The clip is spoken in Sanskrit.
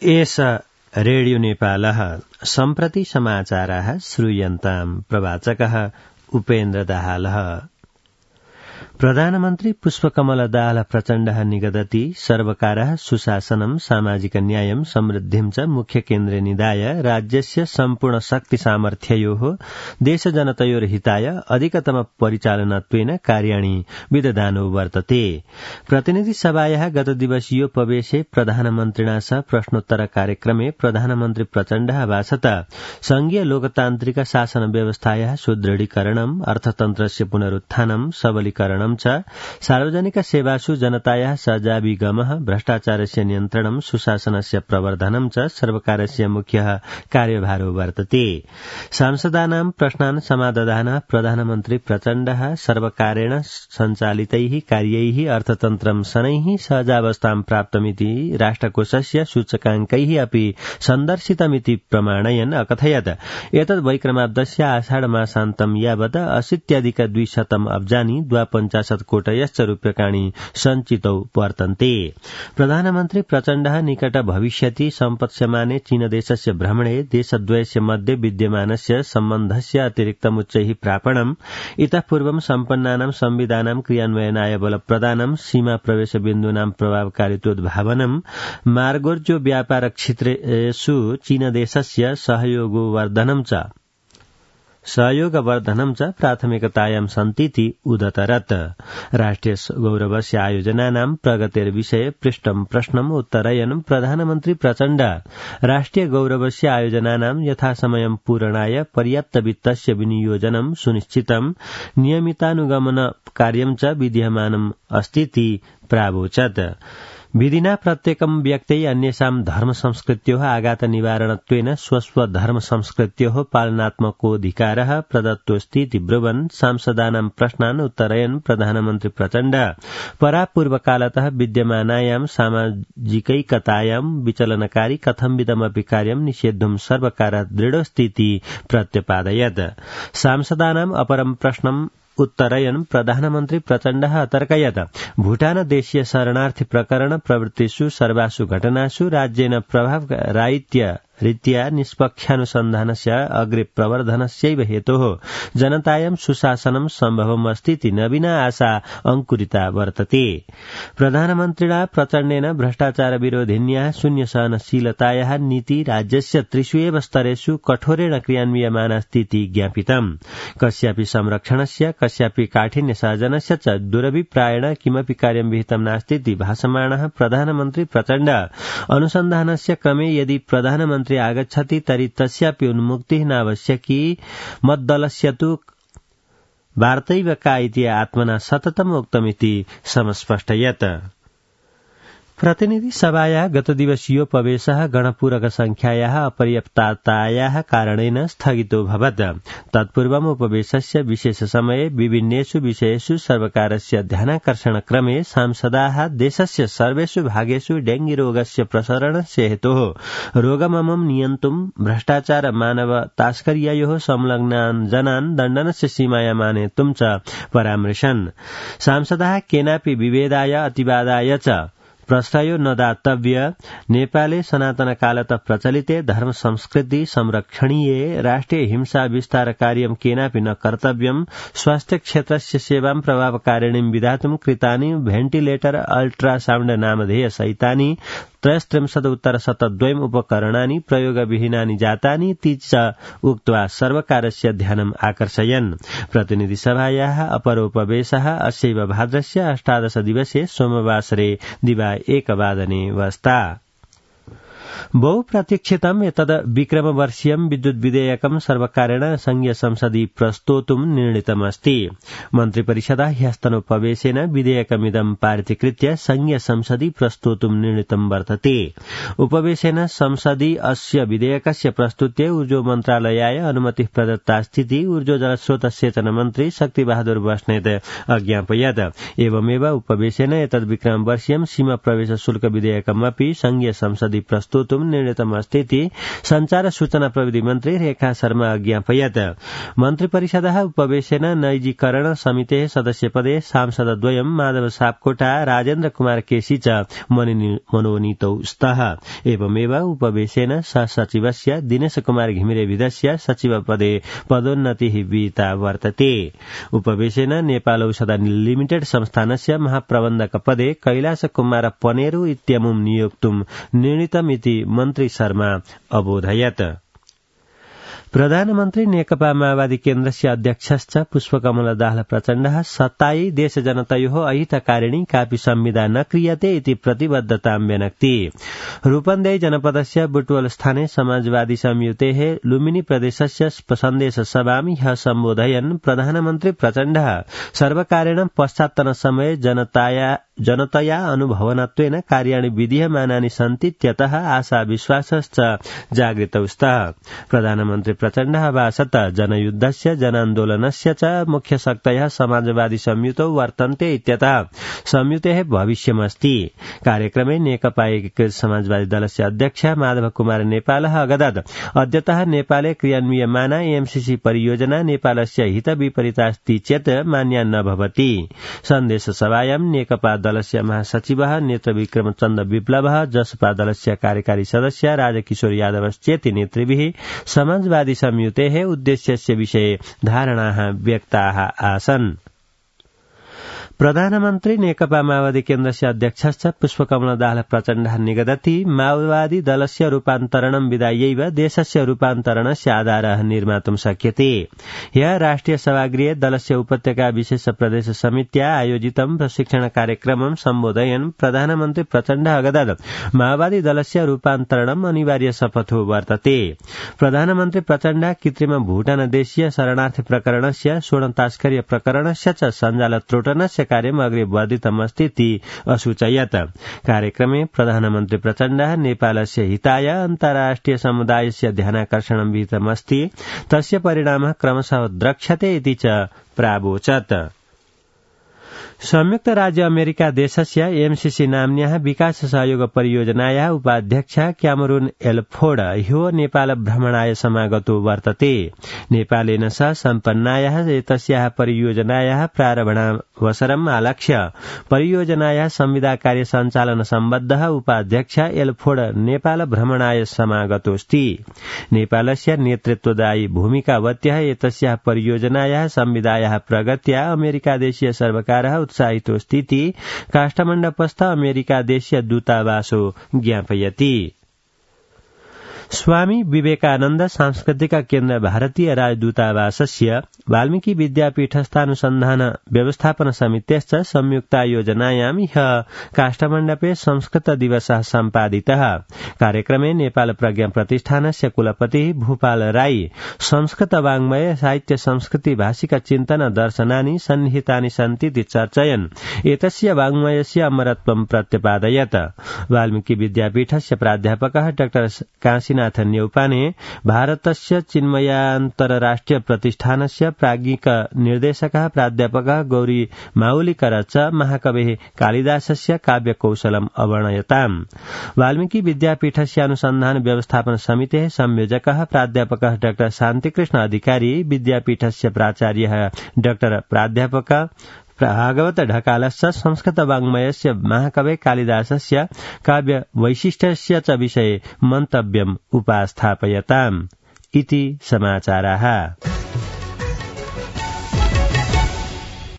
एष रेडियो नेपालः सम्प्रति समाचाराः श्रूयन्ताम् प्रवाचकः उपेन्द्र दाहालः। प्रधानमन्त्री पुष्पकमल दाहाल प्रचण्डः निगदति सर्वकारः सुशासनं सामाजिक न्यायं समृद्धिं च मुख्य केन्द्रे निधाय राज्यस्य सम्पूर्ण शक्ति सामर्थ्ययोः देशजनतयोर्हिताय अधिकतम परिचालनत्वेन कार्याणि विदधानो वर्तते। प्रतिनिधिसभायाः गतदिवसीयोपवेशे प्रधानमन्त्रिणा सह प्रश्नोत्तर कार्यक्रमे प्रधानमन्त्री प्रचण्डः भाषत संघीय लोकतान्त्रिक शासन व्यवस्थायाः सुदृढीकरणम् अर्थतन्त्रस्य पुनरुत्थानं सबलीकरणं च सार्वजनिक सेवासु जनतायाः सहभागिगमः भ्रष्टाचारस्य नियन्त्रणं सुशासनस्य प्रवर्धनं च सर्वकारस्य मुख्यः कार्यभारो वर्तते। सांसदानां प्रश्नान् समादधान प्रधानमन्त्री प्रचण्डः सर्वकारेण सञ्चालितैः कार्यैः अर्थतन्त्रं शनैः सहजावस्थां प्राप्तमिति राष्ट्रकोषस्य सूचकाङ्कैः अपि सन्दर्शितमिति प्रमाणयन् अकथयत् एतद् वैक्रमाब्दस्य आषाढ मासान्तं यावत् 80,200 अब्जानि 52 कोटयश्च रूप्यकाणि सञ्चितौ वर्तन्ते। प्रधानमन्त्री प्रचण्डः निकट भविष्यति सम्पत्स्यमाने चीनदेशस्य भ्रमणे देशद्वयस्य मध्ये विद्यमानस्य सम्बन्धस्य अतिरिक्तमुच्चैः प्रापणम् इतः पूर्वं सम्पन्नानां संविधानां क्रियान्वयनाय बलप्रदानं सीमा प्रवेश बिन्दूनां प्रभावकारित्वोद्भावनं मार्गोर्जो व्यापार क्षेत्रेषु चीनदेशस्य सहयोगवर्धनं च प्राथमिकतायां सन्तीति उदतरत्। राष्ट्रिय गौरवस्य आयोजनानां प्रगतेर्विषये पृष्टं प्रश्नम् उत्तरयन् प्रधानमन्त्री प्रचण्ड राष्ट्रिय गौरवस्य आयोजनानां यथासमयं पूरणाय पर्याप्त वित्तस्य विनियोजनं सुनिश्चितं नियमितानुगमन कार्यं च विद्यमानम् अस्तीति प्रावोचत्। विधिना प्रत्येकं व्यक्त्यै अन्येषां धर्म संस्कृत्योः आघात निवारणत्वेन स्वस्व धर्म संस्कृत्योः पालनात्मकोऽधिकारः प्रदत्तोऽस्तीति ब्रुवन् सांसदानां प्रश्नान् उत्तरयन् प्रधानमन्त्री प्रचण्ड परापूर्वकालतः विद्यमानायां सामाजिकैकतायां विचलनकारी कथंविदमपि कार्यं निषेद्धुं सर्वकारः दृढोऽस्तीति प्रत्यपादयत्। सांसदानाम् अपरं प्रश्नम् उत्तरयन् प्रधानमन्त्री प्रचण्डः अतर्कयत् भूटान देशीय शरणार्थी प्रकरण प्रवृत्तिषु सर्वासु घटनासु राज्येन प्रभावराहित्य रीत्या निष्पक्षानुसन्धानस्य अग्रे प्रवर्धनस्यैव हेतोः जनतायां सुशासनं सम्भवम् अस्तीति नवीना आशा अंकुरिता वर्तते। प्रधानमन्त्रिणा प्रचण्डेन भ्रष्टाचार विरोधिन्याः शून्य सहनशीलतायाः नीति राज्यस्य त्रिषु एव स्तरेषु कठोरेण क्रियान्वियमानास्तीति ज्ञापितम्। कस्यापि संरक्षणस्य कस्यापि काठिन्य सार्जनस्य च दुरभिप्रायेण किमपि कार्यं विहितं नास्तीति भाषमाणः प्रधानमन्त्री प्रचण्ड अनुसन्धानस्य क्रमे यदि प्रधानमन्त्री आगच्छति तर्हि तस्यापि उन्मुक्तिः नावश्यकी मद्दलस्य तु वार्तैव का इति आत्मना सततम् उक्तमिति समस्पष्टयत्। प्रतिनिधिसभायाः गतदिवसीयोपवेशः गणपूरकसंख्यायाः अपर्याप्ततायाः कारणेन स्थगितोऽभवत्। तत्पूर्वम् उपवेशस्य विशेषसमये विभिन्नेषु विषयेषु सर्वकारस्य ध्यानाकर्षणक्रमे सांसदाः देशस्य सर्वेषु भागेषु डेंगीरोगस्य प्रसरणस्य हेतोः रोगममं नियन्तुं भ्रष्टाचार मानव तास्कर्यायोः संलग्नान् जनान् दण्डनस्य सीमायाम् आनेतुं च परामृशन्। सांसदाः केनापि विभेदाय अतिवादाय च प्रश्रयो न दातव्य। नेपाले सनातनकालतः प्रचलिते धर्म संस्कृति संरक्षणीये राष्ट्रिय हिंसा विस्तार कार्यं केनापि न कर्तव्यम्। स्वास्थ्य क्षेत्रस्य सेवां प्रभावकारिणीं विधातुं कृतानि भेन्टिलेटर अल्ट्रासाउण्ड नामधेय सहितानि 33 उपकरणानि प्रयोगविहीनानि जातानि इति च उक्त्वा सर्वकारस्य ध्यानम् आकर्षयन्। प्रतिनिधिसभायाः अपरोपवेशः अस्यैव भाद्रस्य 18 दिवसे सोमवासरे दिवा 1 वादने वस्ता। बहुप्रतीक्षितम् एतद् विक्रमवर्षीयं विद्युत् विधेयकं सर्वकारेण संघीय संसदि प्रस्तोतुं निर्णीतमस्ति। मन्त्रिपरिषदः ह्यस्तनोपवेशेन विधेयकमिदं पारितीकृत्य संघीय संसदि प्रस्तोतुं निर्णीतं वर्तते। उपवेशेन संसदि अस्य विधेयकस्य प्रस्तुत्यै ऊर्जो मन्त्रालयाय अनुमतिः प्रदत्तास्तीति ऊर्जो जलस्रोत सेचन मन्त्री शक्तिबहादुर बस्नेत अज्ञापयत्। एवमेव उपवेशेन एतद् विक्रमवर्षीयं सीमा प्रवेश शुल्क विधेयकमपि संघीय संसदि प्रस्तोतुं प्रस्तोतुं निर्णीतमस्तीति संचार सूचना प्रविधि मन्त्री रेखा शर्मा अज्ञापयत्। मन्त्रिपरिषदः उपवेशेन नैजीकरण समितेः सदस्यपदे सांसदद्वयं माधव सापकोटा राजेन्द्र कुमार केसी च मनोनीतौ स्तः। एवमेव उपवेशेन सहसचिवस्य दिनेश कुमार घिमिरेविधस्य सचिवपदे पदोन्नतिः विहिता वर्तते। उपवेशेन नेपाल औषध लिमिटेड संस्थानस्य महाप्रबन्धकपदे कैलाश कुमार पनेरु इत्यमुं नियोक्तुं निर्णीतमिति मन्त्री शर्मा अबोधयत्। प्रधानमन्त्री नेकपा माओवादी केन्द्रस्य अध्यक्षश्च पुष्पकमल दाहाल प्रचण्डः सत्तायै देशजनतयोः अहितकारिणी कापि संविदा न क्रियते इति प्रतिबद्धतां व्यनक्ति। रूपन्देही जनपदस्य बुटवल स्थाने समाजवादी संयुतेः लुम्बिनी प्रदेशस्य सन्देशसभां ह्यः सम्बोधयन् प्रधानमन्त्री प्रचण्डः सर्वकारेण पश्चात्तनसमये जनतया अनुभवनत्वेन कार्याणि विधीयमानानि सन्ति त्यतः आशा विश्वासश्च जागृतौ स्तः। प्रधानमन्त्री प्रचण्डः भाषत जनयुद्धस्य जनान्दोलनस्य च मुख्यशक्तयः समाजवादी संयुतौ वर्तन्ते इत्यतः संयुतेः भविष्यमस्ति। कार्यक्रमे नेकपा एकीकृत समाजवादी दलस्य अध्यक्ष माधव कुमार नेपालः अगदत् अद्यतः नेपाले क्रियान्वियमाना एमसीसी परियोजना नेपालस्य हितविपरीतास्ति चेत् मान्या न भवति। सन्देशसभायां नेकपा दलस्य महासचिवः नेत्रविक्रम चन्द्र विप्लवः जसपा दलस्य कार्यकारी सदस्य राजकिशोर यादवश्चेति नेतृभिः समाजवादी संयुतेः उद्देश्यस्य विषये धारणाः व्यक्ताः आसन्। प्रधानमन्त्री नेकपा माओवादी केन्द्रस्य अध्यक्षश्च पुष्पकमल दाहाल प्रचण्डः निगदति माओवादी दलस्य रूपान्तरणं विधायैव देशस्य रूपान्तरणस्य आधारः निर्मातुं शक्यते। ह्यः राष्ट्रिय सभागृहे दलस्य उपत्यका विशेष प्रदेश समित्या आयोजितं प्रशिक्षण कार्यक्रमं सम्बोधयन् प्रधानमन्त्री प्रचण्डः अगदत् माओवादी दलस्य रूपान्तरणम् अनिवार्य शपथो वर्तते। प्रधानमन्त्री प्रचण्डः कृत्रिम भूटानदेशीय शरणार्थी प्रकरणस्य स्वर्ण प्रकरणस्य च सञ्जाल त्रोटनस्य कार्यम् अग्रे वर्धितमस्तीति असूचयत्। कार्यक्रमे प्रधानमन्त्री प्रचण्डः नेपालस्य हिताय अन्ताराष्ट्रिय समुदायस्य ध्यानाकर्षणं विहितमस्ति तस्य परिणामः क्रमशः द्रक्ष्यते इति च प्रावोचत्। संयुक्त राज्य अमेरिका देशस्य एमसीसी नाम्न्याः विकास सहयोग परियोजनायाः उपाध्यक्ष क्यामरून एल्फोर्ड ह्यो नेपाल भ्रमणाय समागतो वर्तते। नेपालेन सह सम्पन्नायाः एतस्याः परियोजनायाः प्रारम्भावसरम् आलक्ष्य परियोजनायाः संविदा कार्य सञ्चालन सम्बद्धः उपाध्यक्ष एल्फोर्ड नेपाल भ्रमणाय समागतोऽस्ति। नेपालस्य नेतृत्वदायी भूमिकावत्यः एतस्याः परियोजनायाः संविदायाः प्रगत्या अमेरिकादेशीय सर्वकारः उत्साहितोऽस्तीति काष्ठमण्डपस्थ अमेरिकादेशीय दूतावासो ज्ञापयति। स्वामी विवेकानन्द सांस्कृतिक केन्द्र भारतीय राजदूतावासस्य वाल्मीकि विद्यापीठस्थानुसन्धान व्यवस्थापन समितेश्च संयुक्तायोजनायां ह्यः काष्ठमण्डपे संस्कृत दिवसः सम्पादितः। कार्यक्रमे नेपाल प्रज्ञा प्रतिष्ठानस्य कुलपतिः भूपाल राई संस्कृत वाङ्मय साहित्य संस्कृति भाषिक चिन्तन दर्शनानि सन्निहितानि सन्तीति चर्चयन् एतस्य वाङ्मयस्य अमरत्वं प्रत्यपादयत्। वाल्मीकि विद्यापीठस्य प्राध्यापकः डाक्टर काशीनाथ न्यौपाने भारतस्य चिन्मयान्तरराष्ट्रिय प्रतिष्ठानस्य प्राज्ञिक निर्देशकः प्राध्यापकः गौरी माउलीकर च महाकवेः कालिदासस्य काव्यकौशलम् अवर्णयताम्। वाल्मीकि विद्यापीठस्य अनुसन्धान व्यवस्थापन समितेः संयोजकः प्राध्यापकः डाक्टर शान्तिकृष्ण अधिकारी विद्यापीठस्य प्राचार्यः डाक्टर प्राध्यापक भागवत ढकालस्य संस्कृत वाङ्मयस्य महाकवे कालिदासस्य काव्य वैशिष्ट्यस्य च विषये मन्तव्यम् उपास्थापयताम् इति समाचाराः।